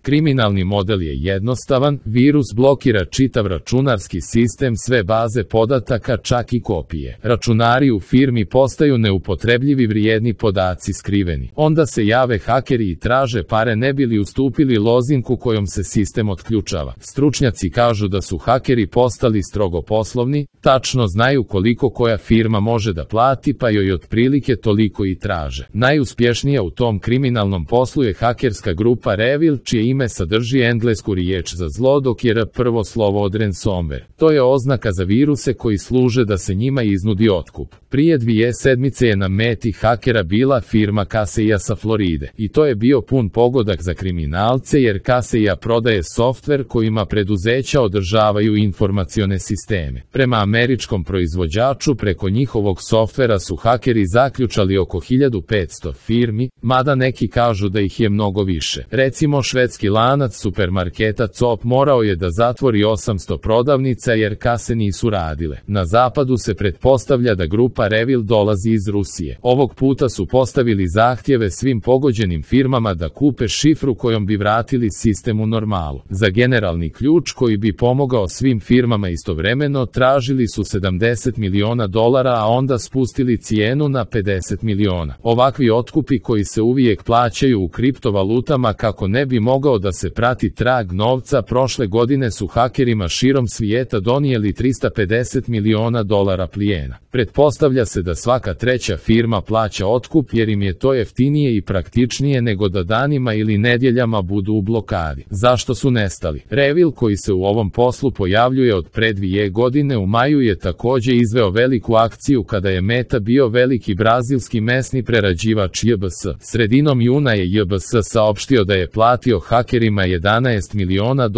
Kriminalni model je jednostavan, virus blokira čitav računarski sistem, sve baze podataka, čak i kopije. Računari u firmi postaju neupotrebljivi, vrijedni podaci skriveni. Onda se jave hakeri i traže pare ne bi li ustupili lozinku kojom se sistem otključava. Stručnjaci kažu da su hakeri postali strogo poslovni, tačno znaju koliko koja firma može da plati, pa joj otprilike toliko i traže. Najuspješnija u tom kriminalnom poslu je hakerska grupa Revil, čije ime sadrži englesku riječ za zlo, dok je R prvo slovo od ransomware. To je oznaka za viruse koji služe da se njima iznudi otkup. Prije 2 sedmice je na meti hakera bila firma Kaseya sa Floride. I to je bio pun pogodak za kriminalce, jer Kaseya prodaje softver kojima preduzeća održavaju informacione sisteme. Prema američkom proizvođaču, preko njihovog softvera su hakeri zaključali oko 1500 firmi, mada neki kažu da ih je mnogo više. Recimo, švedski lanac supermarketa Coop morao je da zatvori 800 prodavnica jer kase nisu radile. Na zapadu se pretpostavlja da grupa Revil dolazi iz Rusije. Ovog puta su postavili zahtjeve svim pogođenim firmama da kupe šifru kojom bi vratili sistem u normalu. Za generalni ključ koji bi pomogao svim firmama istovremeno tražili su $70 miliona, a onda spustili cijenu na $50 miliona. Ovakvi otkupi koji se uvijek plaćaju u kriptovalutama kako ne bi mogao da se prati trag novca, prošle godine su hakerima širom svijeta donijeli $350 miliona plijena. Pretpostavlja se da svaka treća firma plaća otkup jer im je to jeftinije i praktičnije nego da danima ili nedjeljama budu u blokadi. Zašto su nestali? Revil, koji se u ovom poslu pojavljuje od pre 2 godine, u maju je također izveo veliku akciju kada je meta bio veliki brazilski mesni prerađivač JBS. Sredinom juna je JBS saopštio da je platio hakerima $11 miliona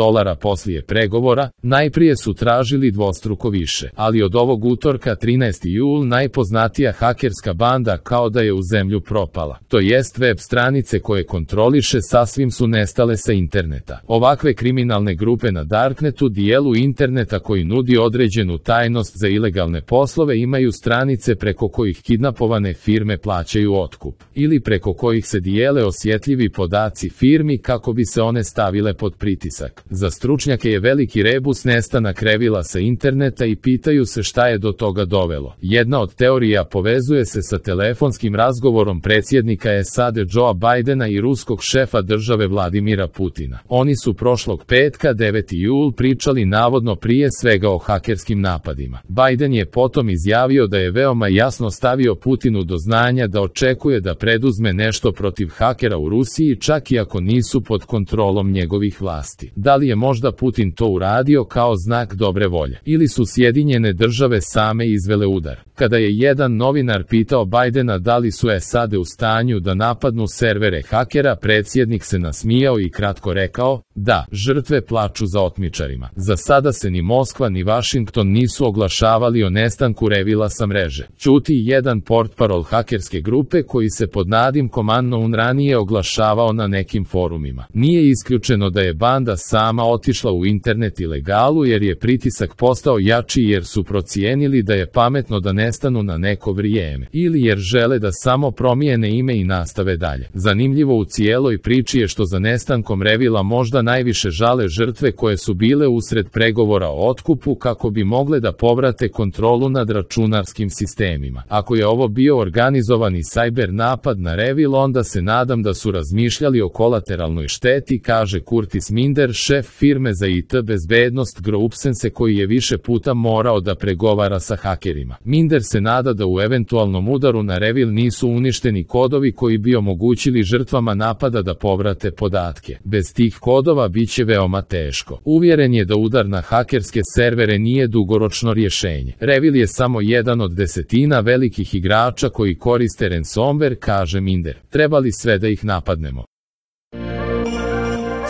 poslije pregovora. Najprije su tražili dvostruko više, ali od ovog utorka 13. jul najpoznatija hakerska banda kao da je u zemlju propala. To jest, web stranice koje kontroliše sasvim su nestale sa interneta. Ovakve kriminalne grupe na darknetu, dijelu interneta koji nudi određenu tajnost za ilegalne poslove, imaju stranice preko kojih kidnapovane firme plaćaju otkup, ili preko kojih se dijele osjetljivi podaci firmi kako bi se one stavile pod pritisak. Za stručnjake je veliki rebus nestanak Revila sa interneta i pitaju se šta je do toga dovelo. Jedna od teorija povezuje se sa telefonskim razgovorom predsjednika SAD Joea Bidena i ruskog šefa države Vladimira Putina. Oni su prošlog petka 9. jul pričali navodno prije svega o hakerskim napadima. Biden je potom izjavio da je veoma jasno stavio Putinu do znanja da očekuje da preduzme nešto protiv hakera u Rusiji, čak i ako nisu pod kontrolom njegovih vlasti. Da li je možda Putin to uradio kao znak dobre volje? Ili su Sjedinjene države same izvele udar? Kada je jedan novinar pitao Bidena da li su SAD u stanju da napadnu servere hakera, predsjednik se nasmijao i kratko rekao: da, žrtve plaču za otmičarima. Za sada se ni Moskva ni Washington nisu oglašavali o nestanku Revila sa mreže. Ćuti jedan portparol hakerske grupe koji se pod nadimkom Unknown ranije oglašavao na nekim forumima. Nije isključeno da je banda sama otišla u internet ilegalu jer je pritisak postao jači, jer su procijenili da je pametno da nestanu na neko vrijeme, ili jer žele da samo promijene ime i nastave dalje. Zanimljivo u cijeloj priči je što za nestankom Revila možda najviše žale žrtve koje su bile usred pregovora o otkupu kako bi mogle da povrate kontrolu nad računarskim sistemima. Ako je ovo bio organizovani cyber napad na Revil, onda se nadam da su razmišljali o kolateralnoj šteti, kaže Curtis Minder, šef firme za IT bezbednost Groupsense, koji je više puta morao da pregovara sa hakerima. Minder se nada da u eventualnom udaru na Revil nisu uništeni kodovi koji bi omogućili žrtvama napada da povrate podatke. Bez tih kodova bit će veoma teško. Uvjeren je da udar na hakerske servere nije dugoročno rješenje. Revil je samo jedan od desetina velikih igrača koji koriste ransomware, kaže Minder. Trebali sve da ih napadnemo.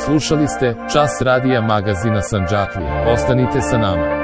Slušali ste Čas radija magazina Sandžaklije. Ostanite sa nama.